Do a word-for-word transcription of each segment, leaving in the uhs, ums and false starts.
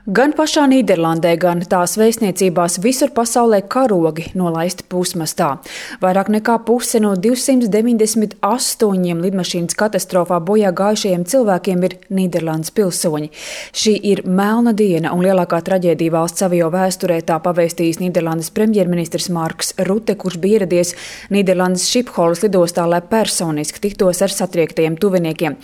Gan pašā Nīderlandē, gan tās vēstniecībās visur pasaulē karogi nolaisti pusmastā. Vairāk nekā puse no divsimt deviņdesmit astoņiem lidmašīnas katastrofā bojā gājušajiem cilvēkiem ir Nīderlandes pilsoņi. Šī ir melna diena un lielākā traģēdija valsts avio vēsturē, tā pavēstījis Nīderlandes premjerministrs Marks Rutte, kurš bija ieradies Nīderlandes Šipholas lidostā, lai personiski tiktos ar satriektajiem tuviniekiem.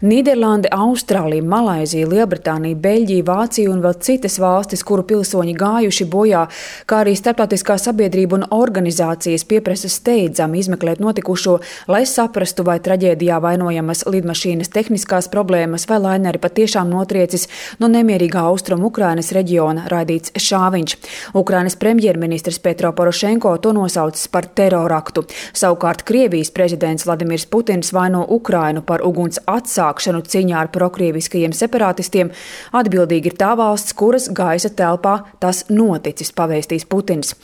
Nīderlande, Austrālija, Malaizija, Lielbritānija, Beļģija, Vācija un vēl citas valstis, kuru pilsoņi gājuši bojā, kā arī starptautiskā sabiedrība un organizācijas pieprasa steidzami izmeklēt notikušo, lai saprastu, vai traģēdijā vainojamas lidmašīnas tehniskās problēmas vai laineri patiešām notriecis no nemierīgā austrumu Ukrainas reģiona, raidīts šāviņš. Ukrainas premjerministrs Petro Porošenko to nosaucis par teroraktu. Savukārt Krievijas prezidents Vladimirs Putins vaino Ukrainu par uguns atsākšanu cīņā ar prokrieviskajiem separatistiem. Atbildīgi ir tā valsts, kuras gaisa telpā tas noticis, pavēstīs Putins.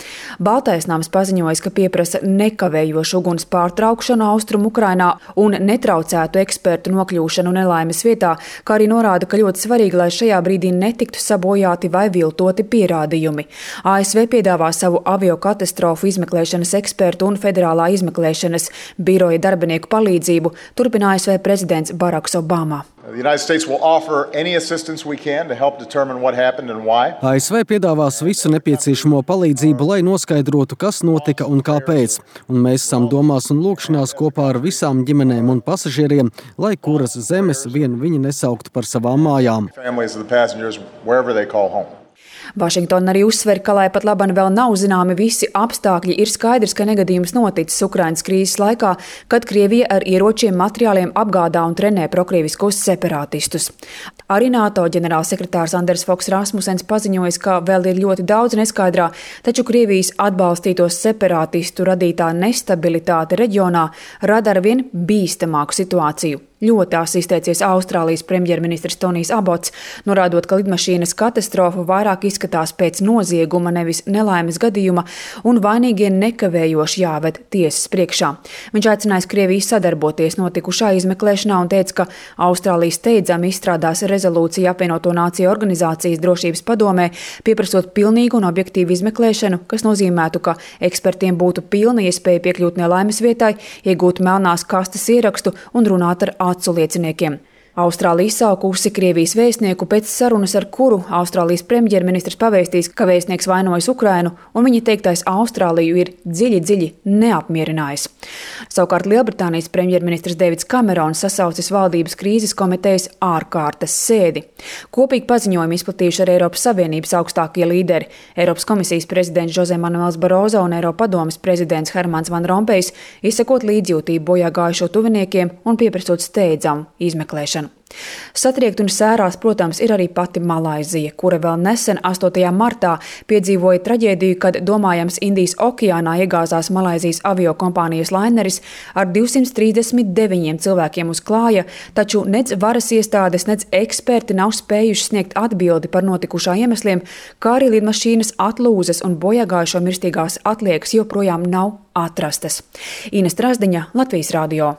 Baltais nams paziņojas, ka pieprasa nekavējošu uguns pārtraukšanu austrumu Ukrainā un netraucētu ekspertu nokļūšanu nelaimes vietā, kā arī norāda, ka ļoti svarīgi, lai šajā brīdī netiktu sabojāti vai viltoti pierādījumi. A S V piedāvā savu avio katastrofu izmeklēšanas ekspertu un federālā izmeklēšanas biroja darbinieku palīdzību, turpina A S V prezidents Baraks Obama. A S V piedāvās visu nepieciešamo palīdzību, lai noskaidrotu, kas notika un kāpēc. Un mēs esam domās un lūkšanās kopā ar visām ģimenēm un pasažieriem, lai kuras zemes vien viņi nesauktu par savām mājām. Vašingtona arī uzsver, ka, lai pat laban vēl nav zināmi visi apstākļi, ir skaidrs, ka negadījums noticis Ukrainas krīzes laikā, kad Krievija ar ieročiem, materiāliem apgādā un trenē prokrieviskos separatistus. Arī NATO ģenerālsekretārs Anders Foks Rasmusens paziņojas, ka vēl ir ļoti daudz neskaidrā, taču Krievijas atbalstītos separatistu radītā nestabilitāte reģionā rada arvien bīstamāku situāciju. Ļoti asi izteicies Austrālijas premjerministrs Tonijs Abots, norādot, ka lidmašīnas katastrofa vairāk izskatās pēc nozieguma, nevis nelaimes gadījuma, un vainīgie nekavējoši jāved tiesas priekšā. Viņš aicinājis Krieviju sadarboties notikušā izmeklēšanā un teica, ka Austrālija steidzami izstrādās rezolūciju apvienoto nāciju organizācijas drošības padomē, pieprasot pilnīgu un objektīvu izmeklēšanu, kas nozīmētu, ka ekspertiem būtu pilna iespēja piekļūt nelaimes vietai, iegūt melnās kastes ierakstu un runāt ar acu lieciniekiem. Austrālija izsaukusi Krievijas vēstnieku pēc sarunas, ar kuru Austrālijas premjerministrs pavēstīs, ka vēstnieks vainojas Ukrainu, un viņa teiktais Austrāliju ir dziļi, dziļi neapmierinājis. Savukārt Lielbritānijas premjerministrs Deivids Kamerons sasaucis valdības krīzes komitejas ārkārtas sēdi. Kopīgi paziņojumi izplatījuši arī Eiropas Savienības augstākie līderi. Eiropas komisijas prezidents Jose Manuels Barozo un Eiropadomes prezidents Hermans Van Rompējs, izsakot līdzjūtību bojā gājušo tuviniekiem un pieprasot steidzamu izmeklēšanu. Satriekt un sērās, protams, ir arī pati Malaizija, kura vēl nesen astotajā martā piedzīvoja traģēdiju, kad domājams Indijas okeānā iegāzās Malaizijas avio kompānijas laineris ar divsimt trīsdesmit deviņiem cilvēkiem uz klāja, taču nec varas iestādes, nec eksperti nav spējuši sniegt atbildi par notikušā iemesliem, kā arī lidmašīnas atlūzas un bojāgājušo mirstīgās atliekas joprojām nav atrastas. Ines Trasdiņa, Latvijas radio.